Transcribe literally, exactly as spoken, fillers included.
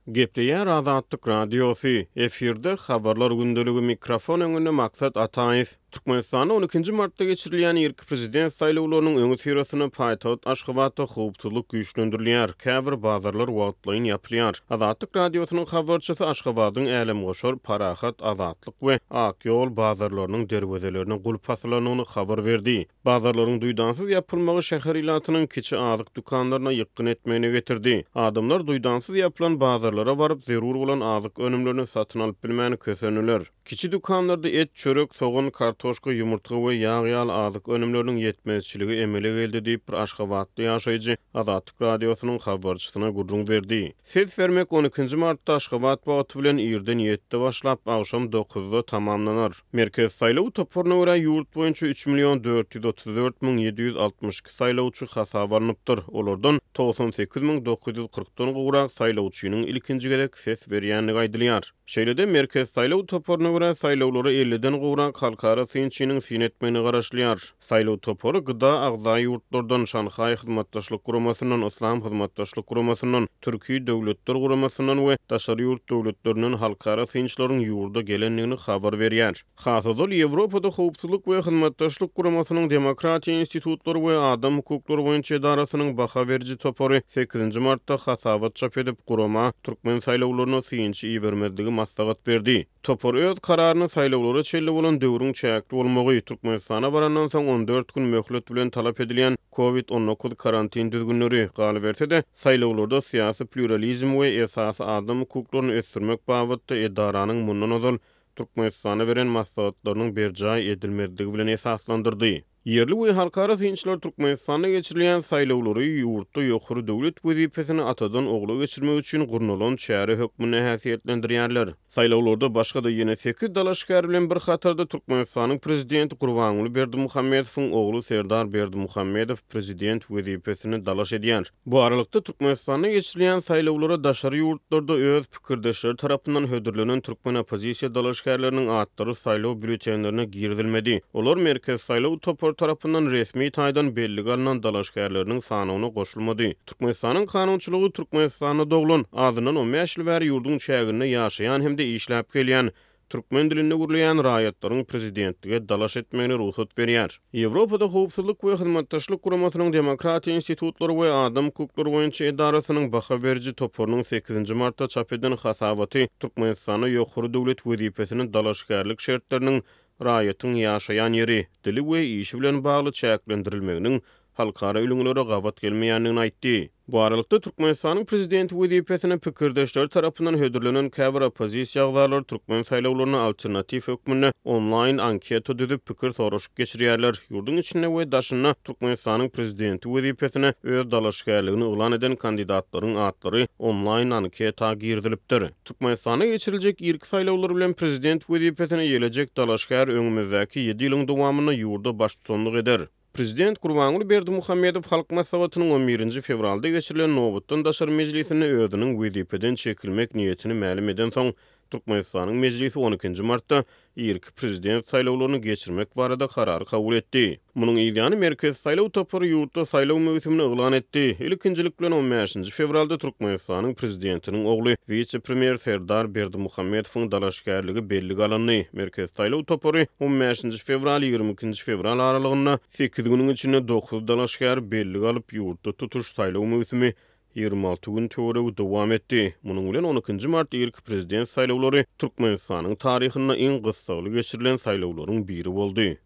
Gepleýär Azatlyk Radiosy, efirde Habarlar gündeligi, mikrofon öňünde Maksat Ataýew. Türkmenistanda on ikinji martda geçirilýän irki prezident saýlawlarynyň öňüsyrasynda paýtagt Aşgabatda howpsuzlyk güýçlendirilýär, käbir bazarlar wagtlaýyn ýapylýar. Azatlyk Radiosynyň habarçysy Aşgabadyň Älemgoşar, Parahat, Azatlyk we Ak ýol bazarlarynyň derwezelerine gulp asylandygyny habar berdi. Bazarlaryň duýdansyz ýapylmagy şäher ilatynyň kiçi azyk dükanlaryna ýykgyn etmegine getirdi. Adamlar duýdansyz ýapylan bazarlara baryp, zerur bolan azyk önümlerini satyn alyp bilmän kösendiler. Kiçi dükanlarda et, çörek, sogan, kartoşka, ýumurtga we ýag ýaly azyk önümleriniň ýetmezçiligi emele geldi diýip, bir aşgabatly ýaşaýjy Azatlyk Radiosynyň habarçysyna gürrüň berdi. Ses bermek on ikinji martda Aşgabat wagty bilen irden ýedide başlap, agşam dokuzda tamamlanar. Merkez saýlaw toparyna görä ýurt boýunça üç million dört ýüz otuz dört müň ýedi ýüz altmyş iki saýlawçy hasaba alnypdyr. Olardan togsan sekiz müň dokuz ýüz kyrkdan gowrak saýlawçynyň ilkinji gezek ses berýändigi aýdylýar. Şeýle-de Merkez saýlaw toparyna görä saýlawlara elliden gowrak halkara synçynyň syn etmegine garaşylýar. Saýlaw topary G D A agza ýurtlardan, Şanhaý Hyzmatdaşlyk Guramasyndan, Yslam Hyzmatdaşlyk Guramasyndan, Türki Döwletler Guramasyndan we daşary ýurt döwletlerinden halkara synçylaryň ýurda gelendigini habar berýär. Has ozal Ýewropada Howpsuzlyk we Hyzmatdaşlyk Guramasynyň Demokratiýa institutlary we adam hukuklary boýunça edarasynyň baha beriji topary sekizinji martda hasabat çap edip, gurama türkmen saýlawlaryna synçy ibermezligi maslahat berdi. Topar öz kararyny saýlawlara çenli bolan döwrüň çäkli bolmagy, Türkmenistana barandan soň on dört gün möhlet bilen talap edilýän kovid on dokuz karantin düzgünleri, galyberse-de saýlawlarda syýasy pluralizm we esasy adam hukuklaryny ösdürmek babatda edaranyň mundan ozal Türkmenistana beren maslahatlarynyň berjaý edilmezligi bilen esaslandyrdy. Ýerli we halkara synçylar Türkmenistanda geçirilýän saýlawlary ýurtda ýokary döwlet wezipesini atadan ogla geçirmek üçin gurnalan çäre hökmünde häsiýetlendirýärler. Saýlawlarda başga-da ýene sekiz dalaşgär bilen bir hatarda Türkmenistanyň prezidenti Gurbanguly Berdimuhamedowyň ogly Serdar Berdimuhamedow prezident wezipesini dalaş edýär. Bu aralykda Türkmenistanda geçirilýän saýlawlara daşary ýurtlarda öz pikirdeşleri tarapyndan hödürlenen türkmen oppozisiýa dalaşgärleriniň atlary saýlaw býulletenlerine girizilmedi. Olar Merkez saýlaw topary tarapyndan resmi taýdan bellige alynan dalaşgärleriniň sanawyna goşulmady. Türkmenistanyň kanunçylygy Türkmenistanda doglan, azyndan on bäş ýyl bäri ýurduň çäginde ýaşaýan hem-de işläp gelýän türkmen dilinde gürleýän raýatlaryň prezidentlige dalaş etmegine rugsat berýär. Ýewropada Howpsuzlyk we Hyzmatdaşlyk Guramasynyň Demokratiýa institutlary we adam hukuklary boýunça edarasynyň baha beriji toparynyň sekizinji martda çap eden hasabaty Türkmenistanda ýokary döwlet wezipesini dalaşgärlik şertleriniň raýatyň ýaşaýan ýeri, dili we işi bilen bagly çäklendirilmeginiň halkara ülňülere gabat gelmeýändigini aýtdy. Bu aralykda Türkmenistanyň prezidenti wezipesine pikirdeşleri tarapyndan hödürlenen käbir oppozisiýa agzalary türkmen saýlawlaryna alternatiw hökmünde onlaýn anketa düzüp pikir soraşyk geçirýärler. Ýurduň içinde we daşynda Türkmenistanyň prezidenti wezipesine öz dalaşgärligini yglan eden kandidatlaryň atlary onlaýn anketa girizilipdir. Türkmenistanda geçiriljek irki saýlawlar bilen prezident wezipesine ýelejek dalaşgär öňümizdäki ýedi ýylyň dowamynda ýurda baştutanlyk eder. Prezident Gurbanguly Berdimuhamedow Halk Maslahatynyň on birinji fewralda geçirilen nobatdan daşary mejlisinde özüniň wezipeden çekilmek niýetini mälim eden soň Türkmenistanyň mejlisi on ikinji martda irki prezident saýlawlaryny geçirmek barada karar kabul etdi. Munuň ýany Merkez saýlaw topary ýurtda saýlaw möwsümini yglan etdi. Ilkinjilik bilen on bäşinji fewralda Türkmenistanyň prezidentiniň ogly wise-premýer Serdar Berdimuhamedowyň dalaşgärligi bellige alyndy. Merkez saýlaw topary on bäşinji fewral ýigrimi ikinji fewral aralygynda sekiz günüň içinde dokuz dalaşgär bellige alyp ýurtda tutuş saýlaw möwsümi ýigrimi alty gün töweregi dowam etdi. Munuň bilen on ikinji mart irki prezident saýlawlary Türkmenistanyň taryhynda iň gyssagly geçirilen saýlawlaryň biri boldy.